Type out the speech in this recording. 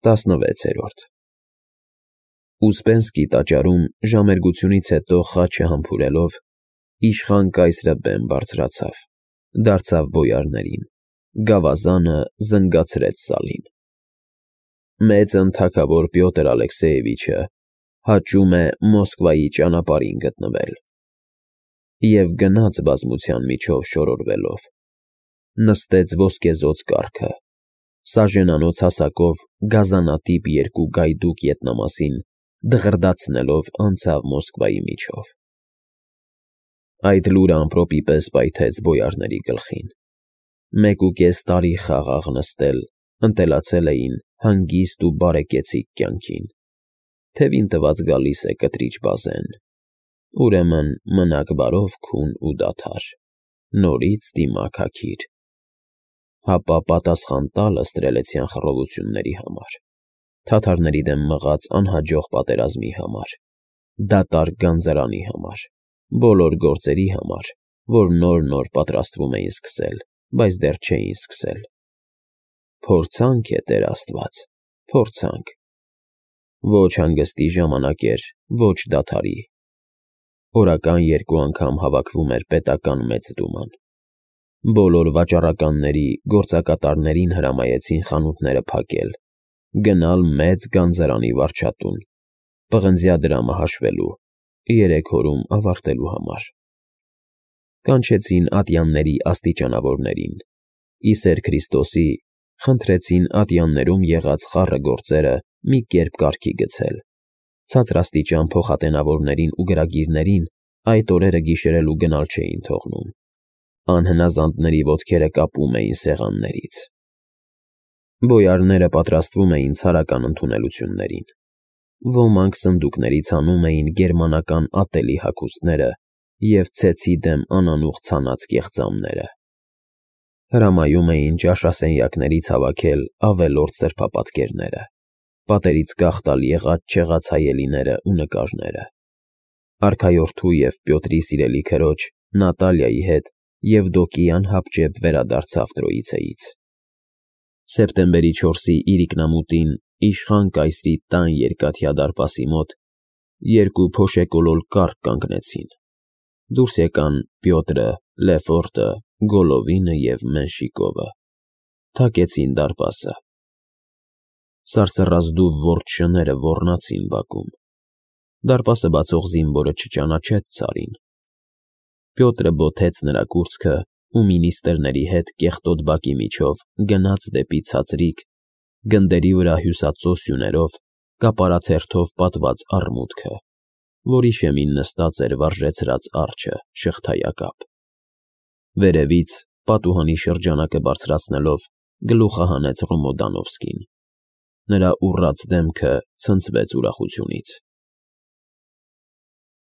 16 Ուսպենսկի տաճարում ժամերգությունից հետո խաչը համբուրելով, իշխան կայսրը բեմ բարձրացավ, դարձավ բոյարներին, գավազանը զնգացրեց սալին։ Մեծ ընթագավոր Պյոտր Ալեքսեևիչը հաճում է Մոսկվայի ճանապարհին գտնվել։ Եվ գնաց բազմության միջով շորորվելով, նստեց ոսկեզօծ կառքը, սաժենանոց հասակով գազանատիպ երկու գայդուկ ետնամասին դղրդացնելով անցավ Մոսկվայի միջով։ Այդ լուրը ամպրոպի պես պայթեց բոյարների գլխին։ 1.5 տարի խաղաղ նստել, ընտելացել էին հանգիստ ու բարեկեցիկ կյանքին, թևին տված գալիս է կտրիչ բազեն, ուրեմն մնաք բարով քուն ու դադար, նորից դիմաք հագիր, հապա պատասխան տալը ստրելեցյան խռովությունների համար, թաթարների դեմ մղած անհաջող պատերազմի համար, դատարկ գանձարանի համար, բոլոր գործերի համար, որ նոր պատրաստվում էին սկսել, բայց դեռ չէին սկսել։ Փորձանք է, Տեր Աստված, փորձանք։ Ոչ հանգստի ժամանակ էր, ոչ դադարի։ Օրական 2 անգամ հավաքվում էր պետական մեծ դուման։ Բոլոր վաճառականների, գործակատարներին հրամայեցին խանութները փակել, գնալ մեծ գանձարանի վարչատուն, պղնձյա դրամը հաշվելու, 3 օրում ավարտելու համար։ Կանչեցին ատյանների աստիճանավորներին, ի սեր Քրիստոսի խնդրեցին ատյաններում եղած խառը գործերը մի կերպ կարգի գցել, ցածրաստիճան փոխատենավորներին ու գրագիրներին այդ օրերը գիշերելու գնալ չէին թողնում, անհնազանդների ոտքերը կապում էին սեղաններից։ Բոյարները պատրաստվում էին ցարական ընդունելություններին։ Ոմանք սնդուկներից հանում էին գերմանական ատելի հագուստները և ցեցի դեմ անանուխ ցանած կեղծամները։ Հրամայում էին ճաշասենյակներից հավաքել ավելորդ սրբապատկերները, պատերից կախտալ եղած-չեղած հայելիները ու նկարները։ Արքայորդու և Պյոտրի սիրելի քրոջ Նատալիայի հետ Եվդոկիան հապճեպ վերադարձավ Տրոիցեից։ Սեպտեմբերի 4-ի իրիկնամուտին իշխան կայսրի տան երկաթյա դարպասի մոտ 2 փոշեկոլոր կառք կանգնեցին։ Դուրս եկան Պյոտրը, Լեֆորտը, Գոլովինը և Մենշիկովը, թակեցին դարպասը։ Սարսռազդու ողջ շները ոռնացին բակում։ Դարպասը բացող զինվորը չճանաչեց Ցարին։ Պյոտրը բոթեց նրա կուրծքը ու մինիստրների հետ կեղտոտ բակի միջով գնաց դեպի ցածրիկ, գնդերի վրա հյուսածո սյուներով, կապարաթերթով պատված առմուտքը, որի շեմին նստած էր վարժեցրած արջը շղթայակապ։ Վերևից, պատուհանի շրջանակը բարձրացնելով, գլուխը հանեց Ռոմոդանովսկին։ Նրա ուռած դեմքը ցնցվեց ուրախությունից։